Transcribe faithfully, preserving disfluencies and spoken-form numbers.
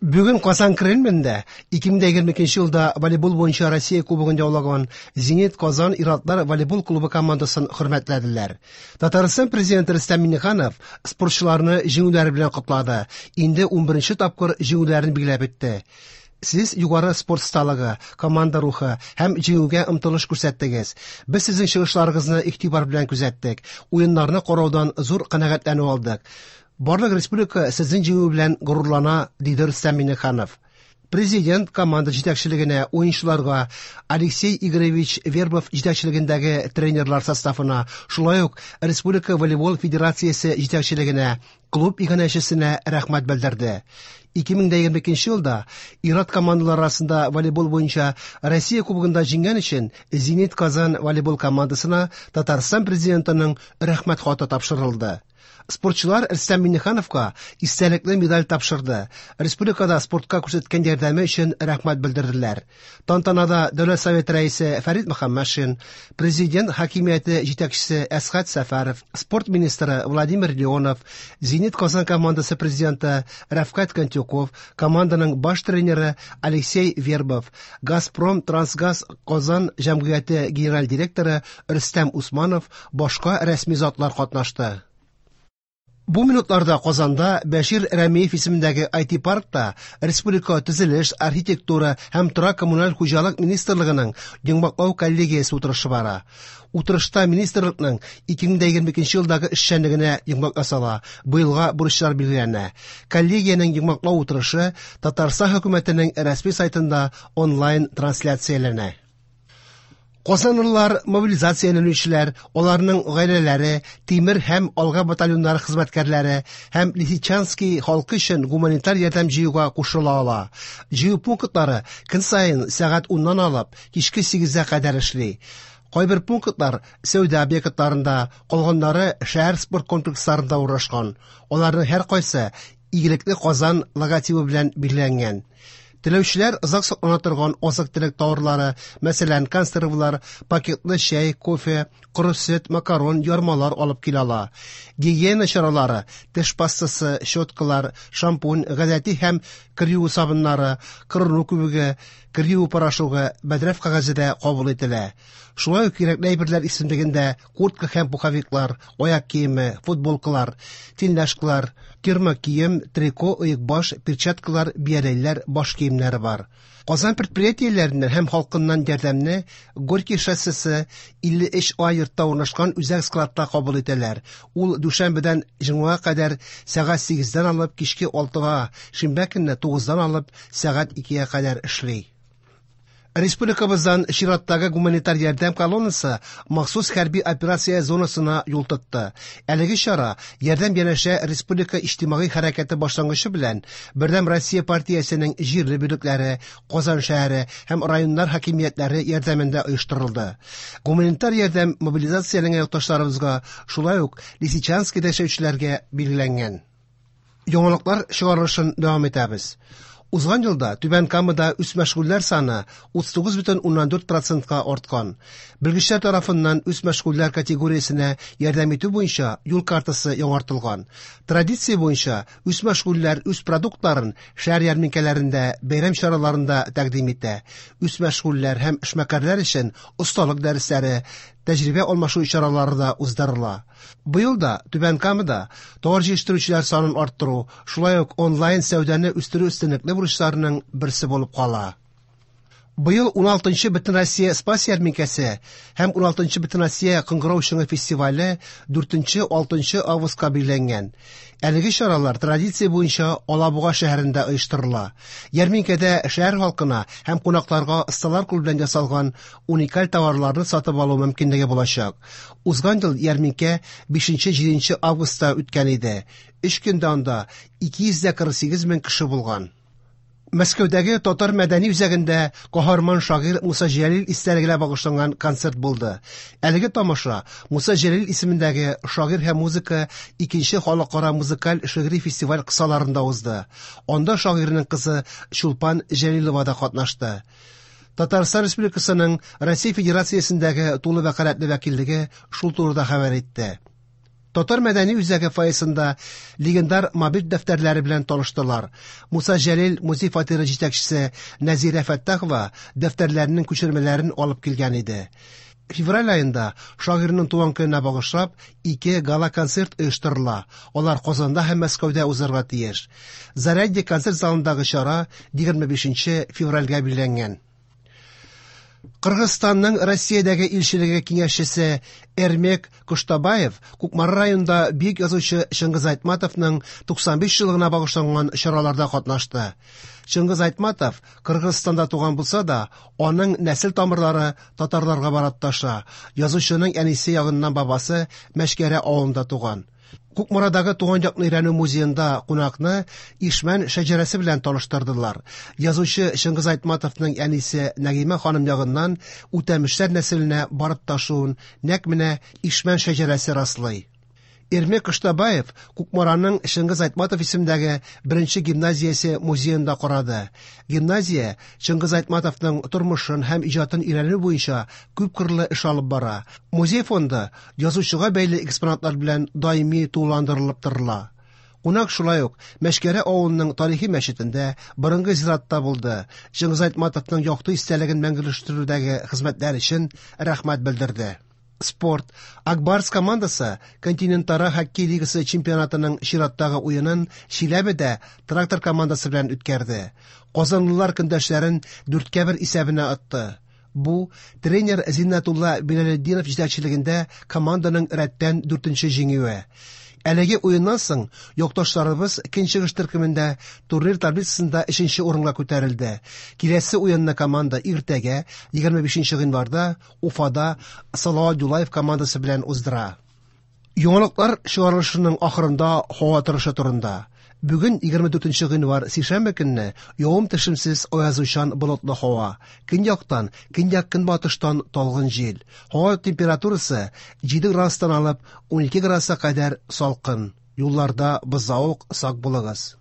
Бүген Казан Кремлендә ике мең егерме икенче елда волейбол буенча Россия кубогын яулаган Зенит Казан ир-атлар волейбол клубы командасын хөрмәтләделәр. Татарстан президенты Рөстәм Миңнеханов спортчыларны җиңүләре белән котлады. Инде унберенче тапкыр җиңүләрен билгеләп үтте. Сез югары спорт осталыгы, команда рухы һәм җиңүгә омтылыш күрсәттегез. Без сезнең чыгышларыгызны игътибар белән күзәттек. Уеннарны караудан зур канәгатьләнү алдык. Барлык республика сезнең җиңү белән горурлана, диде Рөстәм Миңнеханов. Президент команда җитәкчелегенә, уенчыларга, Алексей Игоревич Вербов җитәкчелегендәге тренерлар составына, шулай ук Республика волейбол федерациясе җитәкчелегенә, клуб иганәчесенә рәхмәт белдерде. ике мең егерме икенче елда ир-ат командалар арасында волейбол буенча Россия кубогында җиңгән өчен Зенит Казан волейбол командасына Татарстан президентының рәхмәт хаты тапшырылды. Спортчылар Рөстәм Миңнехановка истәлекле медаль тапшырды. Республикада спортка күрсәткән ярдәме өчен рәхмәт белдерделәр. Тантанада Дәүләт Советы рәисе Фәрит Мөхәммәтшин, президент хакимияте җитәкчесе Әсхәт Сәфәров, спорт министры Владимир Леонов, Зенит Казан командасы президенты Рәфкать Кантюков, команданың баш тренеры Алексей Вербов, Газпром Трансгаз Казан җәмгыяте генераль директоры Рөстәм Усманов, башка рәсми затлар катнашты. Бу минутларда Казанда Бәшир Рәмиев исемендәге ай ти-паркта Республика төзелеш, архитектура һәм торак коммуналь хуҗалык министрлыгының йомгаклау коллегиясе утырышы бара. Утырышта министрлыкның ике мең егерме икенче елдагы эшчәнлегенә йомгак ясала, быелга бурычлар билгеләнә. Коллегиянең йомгаклау утырышы Татарстан хөкүмәтенең рәсми сайтында онлайн трансляцияләнә. Казанлылар, мобилизацияләнүчеләр, аларның гаиләләре, Тимер һәм Алга батальоннары хезмәткәрләре һәм Лисичанский халкы өчен гуманитар ярдәм җыюга кушыла ала. Җыю пунктлары көн саен сәгать уннан алып кичке сигезгә кадәр эшли. Кайбер пунктлар сәүдә объектларында, калганнары шәһәр спорт комплексларында урнашкан. Аларның һәркайсы Игелекле Казан логотибы белән билгеләнгән. Теләүчеләр озак саклана торган азык-төлек тауарлары, мәсәлән, консервлар, пакетлы чәй, кофе, коры сөт, макарон, ярмалар алып килә ала. Гигиена чаралары, теш пастасы, щеткалар, шампунь, гадәти һәм кер юу сабыннары, кырыну күбеге, кер юу порошогы, бәдрәф кәгазе дә кабул ителә. Шулай ук кирәкле әйберләр исемлегендә куртка һәм пуховиклар, аяк киеме, футболкалар, тельняшкалар, термокием, трико, оекбаш, перчаткалар, бияләйләр, баш киемнәре бар. Казан предприятиеләреннән һәм халкыннан ярдәмне Горький шоссесы илле өч А йортта урнашкан үзәк складта кабул итәләр. Ул дүшәмбедән җомгага кадәр сәгать сигездән алып кичке алтыга, шимбә көнне тугыздан алып сәгать икегә кадәр эшли. Республикабыздан чираттагы гуманитар ярдәм колоннасы махсус хәрби операция зонасына юл тотты. Әлеге чара ярдәм янәшә республика иҗтимагый хәрәкәте башлангычы белән Бердәм Россия партиясенең җирле бүлекләре, Казан шәһәре һәм районнар хакимиятләре ярдәмендә оештырылды. Гуманитар ярдәм мобилизацияләнгән якташларыбызга, шулай ук Лисичанскийда яшәүчеләргә билгеләнгән. Яңалыклар чыгарылышын дәвам итәбез. Узган елда Түбән Камада үзмәшгульләр саны утыз тугыз бөтен уннан дүрт процентка арткан. Белгечләр тарафыннан үзмәшгульләр категориясенә ярдәм итү буенча юл картасы яңартылган. Традиция буенча үзмәшгульләр үз продуктларын шәһәр ярминкәләрендә, бәйрәм чараларында тәкъдим итә. Үзмәшгульләр һәм эшмәкәрләр өчен осталык дәресләре, тәҗрибә алмашу чаралары да уздырыла. Быел да Түбән Камада товар җитештерүчеләр санын арттыру, шулай ук онлайн сәүдәне үстерү өстенлекле бурычларының берсе булып кала. Быел уналтынчы Бөтенроссия Спас ярминкәсе һәм уналтынчы Бөтенроссия Кыңгырау чыңы фестивале дүртенче, алтынчы августка билгеләнгән. Әлеге чаралар традиция буенча Алабуга шәһәрендә оештырыла. Ярминкәдә шәһәр халкына һәм кунакларга осталар кулы белән ясалган уникаль товарларны сатып алу мөмкинлеге булачак. Узган ел ярминкә бишенче, җиденче августта үткән иде. Өч көндә анда ике йөз дә кырык сигез мең кеше булган. Мәскәүдәге Татар мәдәни үзәгендә каһарман шагыйрь Муса Җәлил истәлегенә багышланган концерт булды. Әлеге тамаша Муса Җәлил исемендәге шагыйрь һәм музыка икенче халыкара музыкаль шигъри фестиваль кысаларында узды. Анда шагыйрьнең кызы Чулпан Җәлилова да катнашты. Татарстан Республикасының Россия Федерациясендәге тулы вәкаләтле вәкиллеге шул турыда хәбәр итте. Татар мәдәни үзәге фойесында легендар Мобиль дәфтәрләре белән таныштылар. Муса Җәлил музей фатиры җитәкчесе Нәзирә Фәттахова дәфтәрләренең күчермәләрен алып килгән иде. Февраль аенда шагыйрьнең туган көненә багышлап ике гала-концерт оештырыла. Алар Казанда һәм Мәскәүдә узарга тиеш. Зарядье концерт залындагы чара егерме бишенче февральгә билгеләнгән. Кыргызстанның Россиядәге илчелеге киңәшчесе Эрмек Коштабаев Кукмара районында бөек язучы Чыңгыз Айтматовның туксан биш еллыгына багышланган чараларда катнашты. Чыңгыз Айтматов Кыргызстанда туган булса да, аның нәсел тамырлары татарларга барып таша. Язучының әнисе ягыннан бабасы Мәшкәрә авылында туган. Кукмарадагы туган якны өйрәнү музеенда кунакны Ишмән шәҗәрәсе белән таныштырдылар. Язучы Чыңгыз Айтматовның әнисе Нәгыймә ханым ягыннан Үтәмешләр нәселенә барып ташуын нәкъ менә Ишмән шәҗәрәсе раслый. Эрмек Коштабаев Кукмараның Чыңгыз Айтматов исемендәге беренче гимназиясе музеенда карады. Гимназия Чыңгыз Айтматовның тормышын һәм иҗатын өйрәнү буенча күпкырлы эш алып бара. Музей фонды язучыга бәйле экспонатлар белән даими тулыландырылып торыла. Кунак шулай ук Мәшкәрә авылының тарихи мәчетендә, борынгы зиратта булды. Чыңгыз Айтматовның якты истәлеген мәңгеләштерүдәге хезмәтләр өчен рәхмәт белдерде. Спорт. Акбарс командасы континентара хоккей лигасы чемпионатының чираттагы уенын Чиләбедә Трактор командасы белән үткәрде. Казанлылар көндәшләрен дүрткә бер исәбенә атты. Бу тренер Зиннәтулла Билалетдинов җитәкчелегендә команданың рәттән дүртенче җиңүе. Әлеге уеннан соң якташларыбыз көнчыгыш төркемендә турнир таблицасында өченче урынга күтәрелде. Киләсе уенны команда иртәгә егерме бишенче гыйнварда Уфада Салават Юлаев командасы белән уздыра. Яңалыклар чыгарылышының ахырында һава торышы турында. Бүген егерме дүртенче гыйнвар сишәмбе көнне явым төшемсез аязучан болытлы һава. Көньяктан, көньяк-көнбатыштан талгын җил. Һава температурасы җиде градустан алып ун ике градуска кадәр салкын. Юлларда бозаук, сак булыгыз.